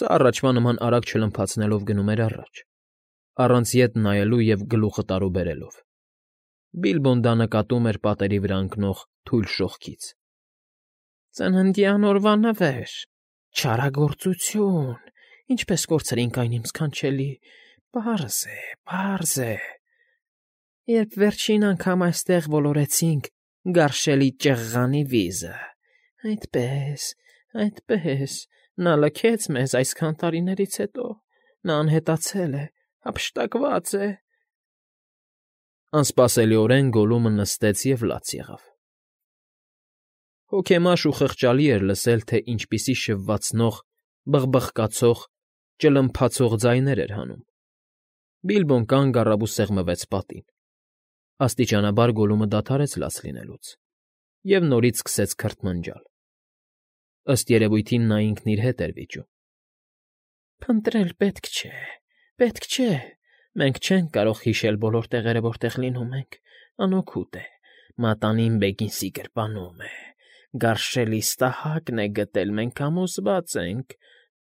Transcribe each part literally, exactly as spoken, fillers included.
Սա առաջվա նման արագ չլմփացնելով գնում էր առաջ, առանց ետ նայելու և գլուխը տարուբերելով. Բիլբոն դա նկատում էր պատերի վրա ընկնող թույլ շողքից։ ֊ Ծննդյան օրվա նվեր, չարագործություն, ինչպես կորցրինք այն, իմ ս֊ս֊սքանչելի, պարզ է, պարզ է… Երբ վերջին անգամ այստեղ ոլորեցինք գարշելի ճղղանի վիզը, այդպես, այդպես, նա լքեց մեզ այսքան տարիներից հետո, նա անհետացել է, հափշտակված է… Անսպասելիորեն Գոլլումը նստեց և լաց եղավ։ Հոգեմաշ ու խղճալի էր լսել, թե ինչպիսի շվվացնող, բխկխբկացող, ճլմփացող ձայներ էր հանում։ Բիլբոն կանգ առավ ու սեղմվեց պատին։ Աստիճանաբար Գոլլումը դադարեց լաց լինելուց և նորից սկսեց քրթմնջալ. ըստ երևույթին նա ինքն իր հետ էր վիճում։ ֊ Փնտրել պետք չէ, պետք չէ, մենք չենք կարող հիշել բոլոր տեղերը, որտեղ լինում ենք, անօգուտ է, մատանին Բեգինսի գրպանում է, գարշելի ստահակն է գտել, մենք համոզված ենք…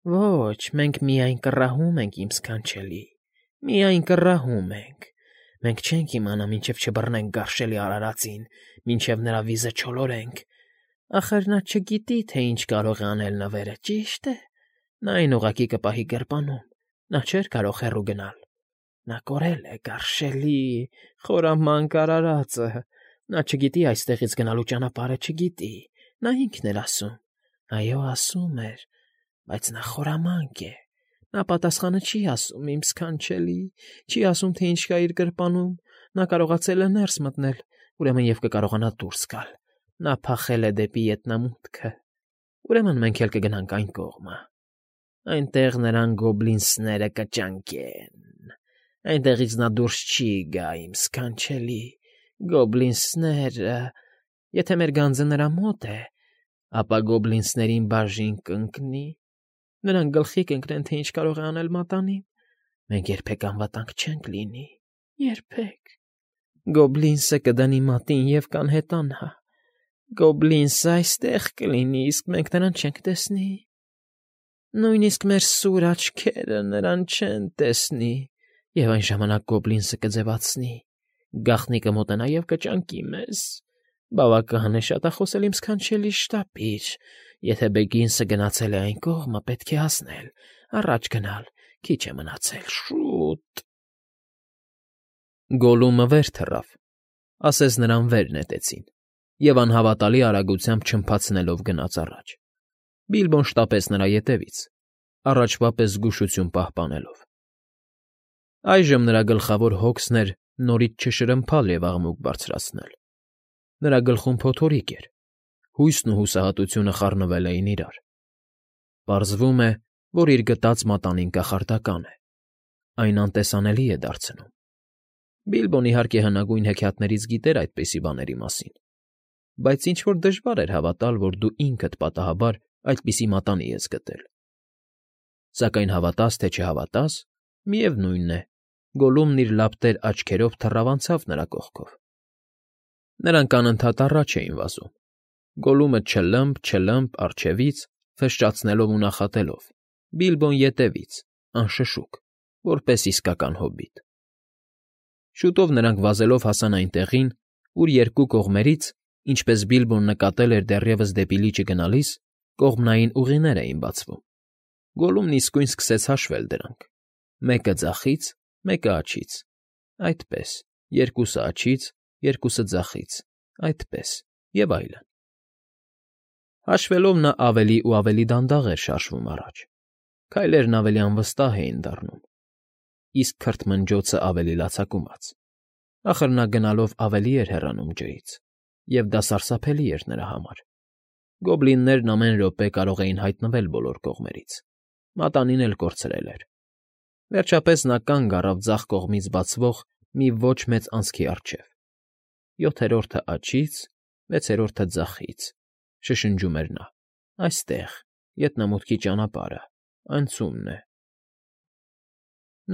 Ոչ, մենք միայն կռահում ենք, իմ ս֊ս֊սքանչելի, միայն կռահում ենք… Մենք չենք իմանա, մինչև չբռնենք գարշելի արարածին, մինչև նրա վիզը չոլորենք… Ախր նա չգիտի, թե ինչ կարող է անել նվերը, ճի՞շտ է… Նա այն ուղղակի կպահի գրպանում, նա չէր կարող հեռու գնալ… Նա կորել է, գարշ֊շ֊շելի, խորամանկ արարածը… Նա չգիտի այստեղից գնալու ճանապարհը, չգիտի… Նա ինքն էր ասում… Այո, ասում էր… Բայց նա խորամանկ է… Նա պատասխանը չի ասում, իմ ս֊ս֊սքանչելի, չի ասում, թե ինչ կա իր գրպանում… Նա կարողացել է ներս մտնել, ուրեմն և կկարողանա դուրս գալ… Նա փախել է դեպի ետնամուտքը… Ուրեմն մենք էլ կգնանք այն կողմը… Այնտեղ նրան գոբլինս֊ս֊սները կճանկեն… Այնտեղից նա դուրս չի գա, իմ ս֊ս֊սքանչելի… Գոբլինս֊ս֊սները… Եթե մեր գանձը նրա մոտ է, ապա գոբլինս֊ս֊սներին բաժին կընկնի… Նրանք գլխի կընկնեն, թե ինչ կարող է անել մատանին… Մենք երբեք անվտանգ չենք լինի, երբեք… Գոբլինս֊ս֊սը կդնի մատին և կանհետանա… Գոբլինս֊ս֊սը այստեղ կլինի, իսկ մենք նրան չենք տեսնի… Նույնիսկ մեր ս֊ս֊սուր աչքերը նրան չեն տեսնի… Եվ այն ժամանակ գոբլինս֊ս֊սը կձևացնի, գաղտնի կմոտենա և կճանկի մեզ… Բավական է շատախոսել, իմ ս֊ս֊սքանչելի, շտապիր… Եթե Բեգինս֊ս֊սը գնացել է այն կողմը, պետք է հասնել, առաջ գնալ, քիչ է մնացել… Շ֊շ֊շ֊ուտ… Գոլլումը վեր թռավ, ասես նրան վեր նետեցին, և անհավատալի արագությամբ չլմփացնելով գնաց առաջ։ Բիլբոն շտապեց նրա ետևից, առաջվա պես զգուշություն պահպանելով։ Այժմ նրա գլխավոր հոգսն էր նորից չշրմփալ և աղմուկ բարձրացնել։ Նրա գլխում փոթորիկ էր, հույսն ու հուսահատությունը խառնվել էին իրար։ Պարզվում է, որ իր գտած մատանին կախարդական է, այն անտեսանելի է դարձնում։ Բիլբոն, իհարկե, հնագույն հեքիաթներից գիտեր այդպիսի բաների մասին, բայց ինչ֊որ դժվար էր հավատալ, որ դու ինքդ պատահաբար այդպիսի մատանի ես գտել։ Սակայն հավատաս թե չհավատաս, միևնույն է, Գոլլումն իր լապտեր աչքերով թռավ անցավ նրա կողքով։ Նրանք անընդհատ առաջ էին վազում, Գոլլումը ճլըմփ, ճլըմփ առջևից, ֆշշացնելով ու նախատելով, Բիլբոն ետևից, անշշուկ, որպես իսկական հոբիտ։ Շուտով նրանք վազելով հասան այն տեղին, ուր երկու կողմերից, ինչպես Բիլբոն նկատել էր դեռևս դեպի լիճը գնալիս, կողմնային ուղիներ էին բացվում։ Գոլլումն իսկույն սկսեց հաշվել դրանք. մեկը ձախից, մեկը աջից, այդպես, երկուսը աջից, երկուսը ձախից, այդպես, և այլն։ Հաշվելով նա ավելի ու ավելի դանդաղ էր շարժվում առաջ, քայլերն ավելի անվստահ էին դառնում, իսկ քրթմնջոցը ավելի լացակումած։ Ախր նա գնալով ավելի էր հեռանում ջրից, և դա սարսափելի էր նրա համար։ Գոբլիններն ամեն րոպե կարող էին հայտնվել բոլոր կողմերից, մատանին էլ կորցրել էր։ Վերջապես նա կանգ առավ ձախ կողմից բացվող մի ոչ մեծ անցքի առջև։ «Յոթերորդը աջից, վեցերորդը ձախից…» շշնջում էր նա։֊ Այստեղ, ետնամուտքի ճանապարհը, անցումն է…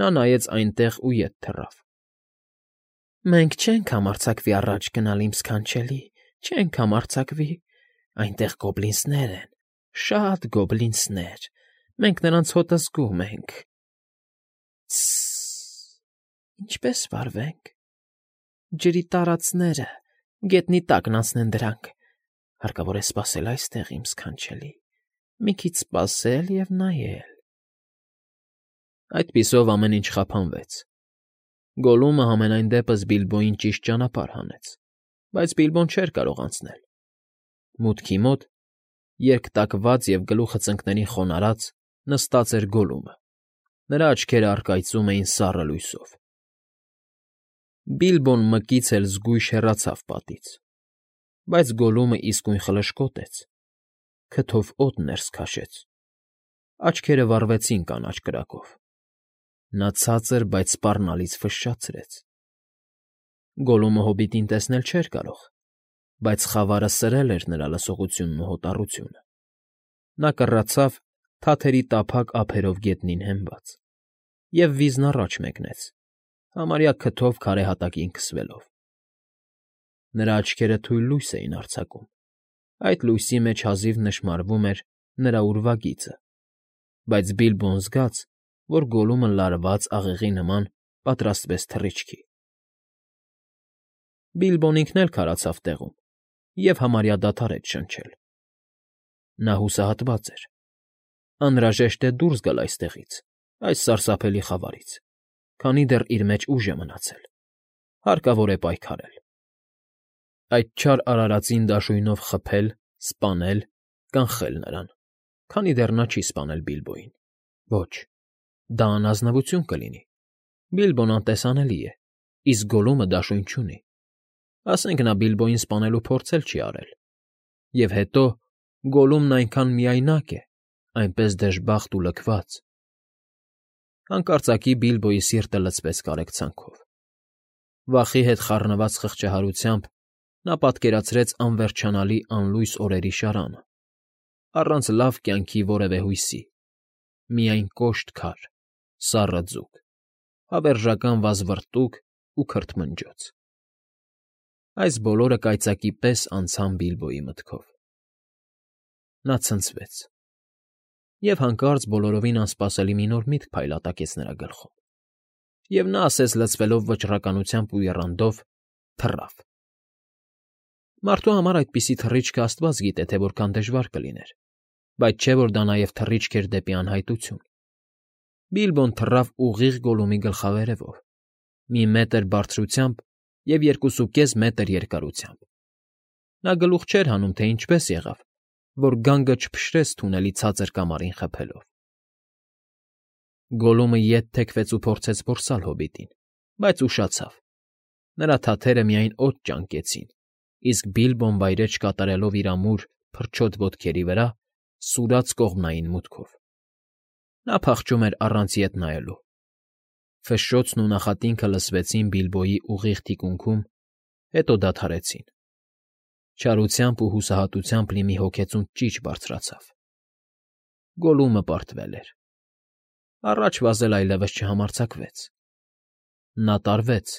Նա նայեց այնտեղ ու ետ թռավ։ «Մենք չենք համարձակվի առաջ գնալ, իմ ս֊ս֊սքանչելի, չենք համարձակվի… Այնտեղ գոբլինս֊ս֊սներ են, շատ գոբլինս֊ս֊սներ… Մենք նրանց հոտը զգում ենք։ Ս֊ս֊ս, ինչպես վարվենք։ Ջրի տարածները, գետնի տակն անցնեն դրանք։ Հարկավոր է սպասել այստեղ, իմ ս֊ս֊սքանչելի, մի քիչ սպասել և նայել։ Այդպիսով ամեն ինչ խափանվեց։ Գոլլումը համենայն դեպս Բիլբոյին ճիշտ ճանապարհ հանեց, բայց Բիլբոն չէր կարող անցնել։ Մուտքի մոտ, երկտակված և գլուխը ծնկներին խոնարհած, նստած էր Գոլլումը, նրա աչքերը առկայծում էին սառը լույսով։ Բիլբոն մկից էլ զգույշ հեռացավ պատից, բայց Գոլլումը իսկույն խլշկոտեց, քթով օդ ներս քաշեց, աչքերը վառվեցին կանաչ կրակով։ Նա ցածր, բայց սպառնալից ֆշշացրեց։ Գոլլումը հոբիտին տեսնել չէր կարող, բայց խավարը սրել էր նրա լսողությունն ու հոտառությունը։ Նա կռացավ թաթերի տափակ ափերով գետնին հենված և վիզն առաջ մեկնեց, համարյա քթով քարե հատակին քսվելով։ Նրա աչքերը թույլ լույս էին արձակում, այդ լույսի մեջ հազիվ նշմարվում էր նրա ուրվագիծը, բայց Բիլբոն զգաց, որ Գոլլումը լարված աղեղի նման պատրաստվեց թռիչքի։ Բիլբոն ինքն էլ քարացավ տեղում և համարյա դադարեց շնչել։ Նա հուսահատված էր. անհրաժեշտ է դուրս գալ այստեղից, այս սարսափելի խավարից, քանի դեռ իր մեջ ուժ է մնացել, հարկավոր է պայքարել։ Այդ չար արարածին դաշույնով խփել, սպանել, կանխել նրան, քանի դեռ նա չի սպանել Բիլբոյին։ Ոչ, դա անազնվություն կլինի։ Բիլբոն անտեսանելի է, իսկ Գոլլումը դաշույն չունի։ Ասենք նա Բիլբոյին սպանելու փորձ էլ չի արել։ Եվ հետո Գոլլումն այնքան միայնակ է, այնպես դժբախտ ու լքված։ Հանկարծակի Բիլբոյի սիրտը լցվեց կարեկցանքով։ Վախի հետ խառնված խղճահարությամբ նա պատկերացրեց անվերջանալի անլույս օրերի շարանը, առանց լավ կյանքի որևէ հույսի, միայն կոշտ քար, սառը ձուկ, հավերժական վազվռտուք ու քրթմնջոց։ Այս բոլորը կայծակի պես անցան Բիլբոյի մտքով։ Նա ցնցվեց, և հանկարծ բոլորովին անսպասելի մի նոր միտք փայլատակեց նրա գլխում, և նա ասես լցվելով վճռականությամբ ու եռանդով, թռավ։ Մարդու համար այդպիսի թռիչքը աստված գիտե, թե որքան դժվար կլիներ, բայց չէ որ դա նաև թռիչք էր դեպի անհայտություն։ Բիլբոն թռավ ուղիղ Գոլլումի գլխավերևով, մի մետր բարձրությամբ և երկուսուկես մետր երկարությամբ։ Նա գլուխ չէր հանում, թե ինչպես եղավ, որ գանգը չփշրեց թունելի ցածր կամարին խփելով։ Գոլլումը ետ թեքվեց ու փորձեց որսալ հոբիտին, բայց ուշացավ։ Նրա թաթերը միայն օդ ճանկեցին, իսկ Բիլբոն վայրէջք կատարելով իր ամուր, փրչոտ ոտքերի վրա, սուրաց կողմնային մուտքով։ Նա փախչում էր առանց ետ նայելու։ Ֆշշոցն ու նախատինքը լսվեցին Բիլբոյի ուղիղ թիկունքում, հետո դադարեցին։ Չարությամբ ու հուսահատությամբ լի մի հոգեցունց ճիչ բարձրացավ։ Գոլլումը պարտվել էր։ Առաջ վազել այլևս չհամարձակվեց։ Նա տարվեց,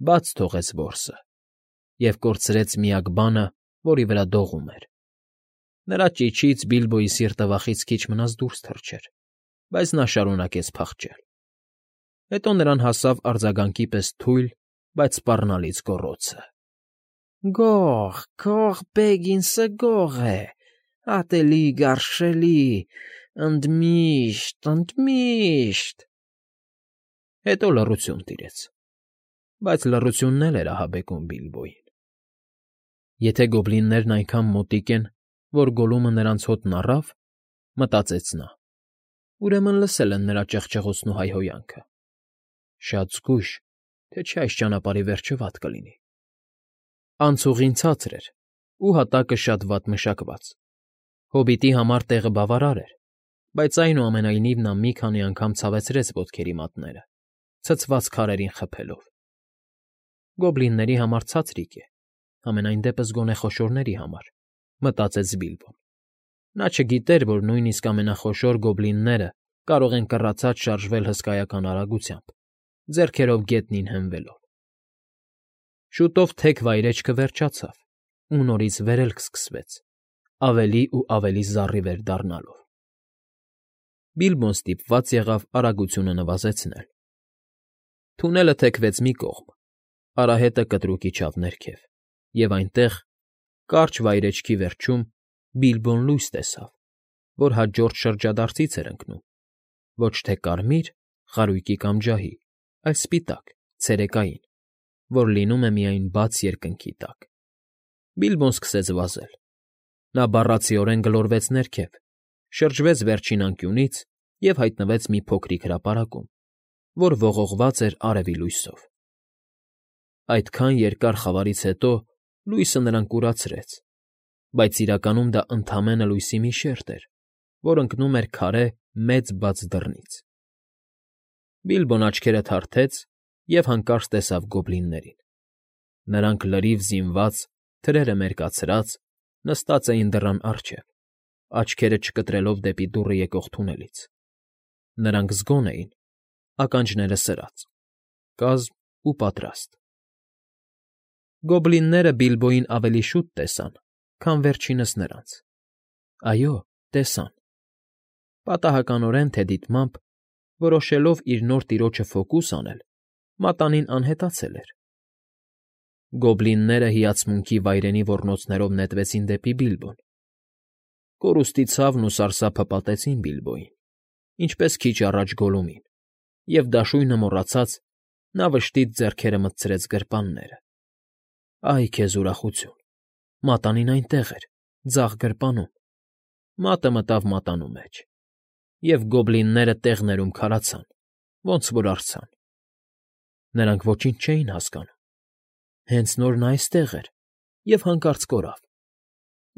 բաց թողեց որսը և կորցրեց միակ բանը, որի վրա դողում էր։ Նրա ճիչից Բիլբոյի սիրտը վախից քիչ մնաց դուրս թռչեր, բայց նա շարունակեց փախչել։ Հետո նրան հասավ արձագանքի պես թույլ, բայց սպառնալից գոռոցը. «Գող, գող Բեգինսը գող է, ատելի, գարշելի, ընդմիշտ, ընդմիշտ»։ Հետո լռություն տիրեց, բայց լռությունն էլ էր ահաբեկում Բիլբոյին։ Եթե գոբլիններն այնքան մոտիկ են, որ Գոլլումը նրանց հոտն առավ, մտածեց նա, ուրեմն լսել են նրա ճղճղոցն ու հայհոյանքը։ Շատ զգույշ, թե չէ այս ճանապարհի վերջը վատ կլինի։ Անցուղին ցածր էր ու հատակը շատ վատ մշակված։ Հոբիտի համար տեղը բավարար էր, բայց այնուամենայնիվ նա մի քանի անգամ ցավեցրեց ոտքերի մատները, ցցված քարերին խփելով։ Գոբլինների համար ցածրիկ է, համենայն դեպս գոնե խոշորների համար, մտածեց Բիլբոն։ Նա չգիտեր, որ նույնիսկ ամենախոշոր գոբլինները կարող են կռացած շարժվել հսկայական արագությամբ, ձեռքերով գետնին հենվելով։ Շուտով թեք վայրէջքը վերջացավ, ու նորից վերելք սկսվեց, ավելի ու ավելի զառիվեր դառնալով։ Բիլբոն ստիպված եղավ արագությունը նվազեցնել։ Թունելը թեքվեց մի կողմ, արահետը կտրուկ իջավ ներքև, և այնտեղ, կարճ վայրէջքի վերջում, Բիլբոն լույս տեսավ, որ հաջորդ շրջադարձից էր ընկնում, ոչ թե կարմիր, խարույկի կամ ջահի, այլ սպիտակ, ցերեկային, որ լինում է միայն բաց երկնքի տակ։ Բիլբոն սկսեց վազել։ Նա բառացիորեն գլորվեց ներքև, շրջվեց վերջին անկյունից և հայտնվեց մի փոքրիկ հրապարակում, որ ողողված էր արևի լույսով։ Այդքան երկար խավարից հետո լույսը նրան կուրացրեց, բայց իրականում դա ընդամենը լույսի մի շերջ էր, որ ընկնում էր քարե մեծ բաց դռնից։ Բիլբոն աչքերը թարթեց և հանկարծ տեսավ գոբլիններին։ Նրանք լրիվ զինված, թրերը մերկացրած, նստած էին դռան առջև, աչքերը չկտրելով դեպի դուռը եկող թունելից։ Նրանք զգոն էին, ականջները սրած, կազմ ու պատրաստ։ Գոբլինները Բիլբոյին ավելի շուտ տեսան, քան վերջինս նրանց։ Այո, տեսան։ Պատահականորեն թե դիտմամբ, որոշելով իր նոր տիրոջը ֆոկուս անել, մատանին անհետացել էր։ Գոբլինները հիացմունքի վայրենի ոռնոցներով նետվեցին դեպի Բիլբոն։ Կորուստի ցավն ու սարսափը պատեցին Բիլբոյին, ինչպես քիչ առաջ Գոլլումին, և դաշույնը մոռացած՝ նա վշտից ձեռքերը մտցրեց գրպանները։ Այ քեզ ուրախություն, մատանին այնտեղ էր, ձախ գրպանում։ Մատը մտավ մատանու մեջ, և գոբլինները տեղներում քարացան, ոնց որ արձան։ Նրանք ոչինչ չէին հասկանում։ Հենց նոր նա այստեղ էր և հանկարծ կորավ։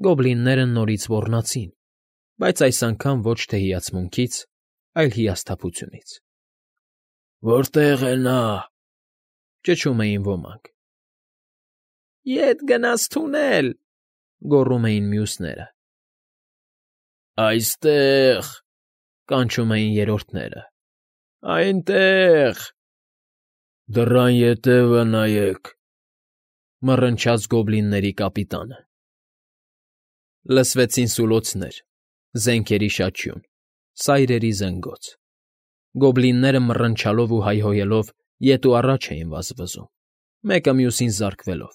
Գոբլինները նորից ոռնացին, բայց այս անգամ ոչ թե հիացմունքից, այլ հիասթափությունից։ Որտե՞ղ է նա,֊ ճչում էին ոմանք։ Ետ գնաց թունել,֊ գոռում էին մյուսները։ Այստեղ,֊ կանչում էին երրորդները։ Այնտեղ… Դռան ետևը նայեք,֊ մռնչաց գոբլինների կապիտանը։ Լսվեցին սուլոցներ, զենքերի շաչյուն, սայրերի զնգոց։ Գոբլինները մռնչալով ու հայհոյելով ետ ու առաջ էին վազվզում, մեկը մյուսին զարկվելով,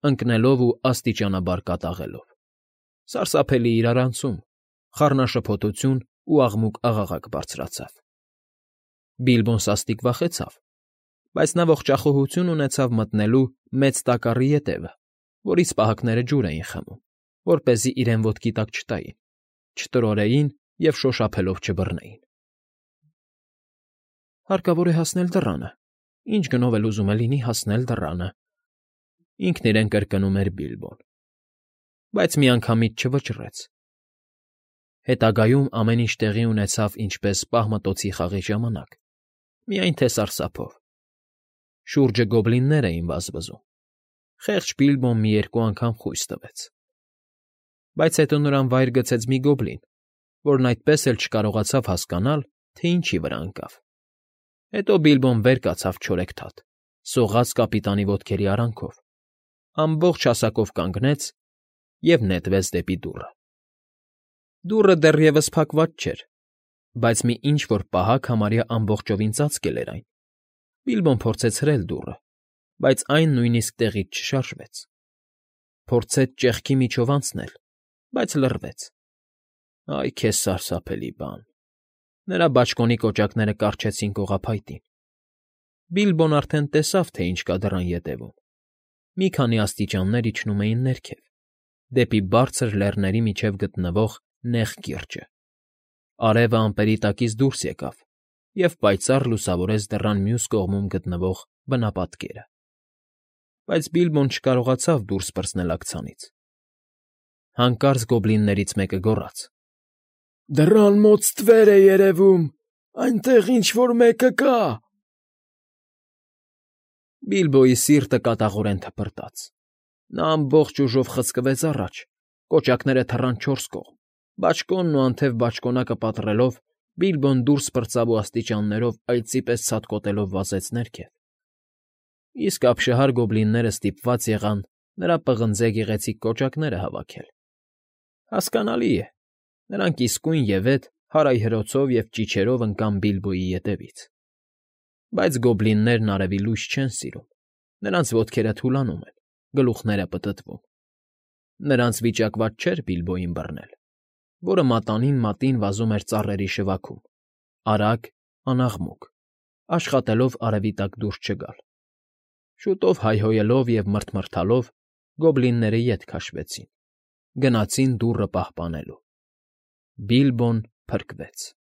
ընկնելով ու աստիճանաբար կատաղելով։ Սարսափելի իրարանցում, խառնաշփոթություն ու աղմուկ֊աղաղակ բարձրացավ։ Բիլբոն սաստիկ վախեցավ, բայց նա ողջախոհություն ունեցավ մտնելու մեծ տակառի ետևը, որից պահակները ջուր էին խմում, որպեսզի իրեն ոտքի տակ չտային, չտրորեին և շոշափելով չբռնեին։ Հարկավոր է հասնել դռանը, ինչ գնով էլ ուզում է լինի հասնել դռանը,֊ ինքն իրեն կրկնում էր Բիլբոն, բայց միանգամից չվճռեց։ Հետագայում ամեն ինչ տեղի ունեցավ ինչպես պահմտոցի խաղի ժամանակ, միայն թե սարսափով։ Շուրջը գոբլիններ էին վազվզում։ Խեղճ Բիլբոն մի երկու անգամ խույս տվեց։ Բայց հետո նրան վայր գցեց մի գոբլին, որն այդպես էլ չկարողացավ հասկանալ, թե ինչի վրա ընկավ։ Հետո Բիլբոն վեր կացավ չորեքթաթ, սողաց կապիտանի ոտքերի արանքով, ամբողջ հասակով կանգնեց և նետվեց դեպի դուռը։ Դուռը դեռևս փակված չէր, բայց մի ինչ֊որ պահակ համարյա ամբողջովին ծածկել էր այն։ Բիլբոն փորձեց հրել դուռը, բայց այն նույնիսկ տեղից չշարժվեց։ Փորձեց ճեղքի միջով անցնել, բայց լռվեց։ Այ քեզ սարսափելի բան… Նրա բաճկոնի կոճակները կառչեցին կողափայտին։ Բիլբոն արդեն տեսավ, թե ինչ կա դռան ետևում։ Մի քանի աստիճաններ իջնում էին ներքև, դեպի բարձր լեռների միջև գտնվող նեղ կիրճը։ Արևը ամպերի տակից դուրս եկավ և պայծառ լուսավորեց դռան մյուս կողմում գտնվող բնապատկերը։ Բայց Բիլբոն չկարողացավ դուրս պրծնել աքցանից։ Հանկարծ գոբլիններից մեկը գոռաց. «Դռան մոտ ստվեր է երևում, այնտեղ ինչ֊որ մեկը կա»։ Բիլբոյի սիրտը կատաղորեն թպրտաց։ Նա ամբողջ ուժով խցկվեց առաջ, կոճակները թռան չորս կողմ, բաճկոնն ու անթև բաճկոնակը պատռելով՝ Բիլբոն դուրս պրծավ ու աստիճաններով այծի պես ցատկոտելով վազեց ներքև։ Իսկ ապշահար գոբլինները ստիպված եղան նրա պղնձե գեղեցիկ կոճակները հավաքել։ Հասկանալի է, նրանք իսկույն ևեթ հարայհրոցով և ճիչերով ընկան Բիլբոյի ետևից։ Բայց գոբլիններն արևի լույս չեն սիրում, նրանց ոտքերը թուլանում են, գլուխները պտտվում։ Նրանց վիճակված չէր Բիլբոյին բռնել, որը մատանին մատին վազում էր ծառերի շվաքում, արագ, անաղմուկ, աշխատելով արևի տակ դուրս չգալ։ Շուտով հայհոյելով և մռթմռթալով գոբլինները ետ քաշվեցին, գնացին դուռը պահպանելու։ Բիլբոն փրկվեց։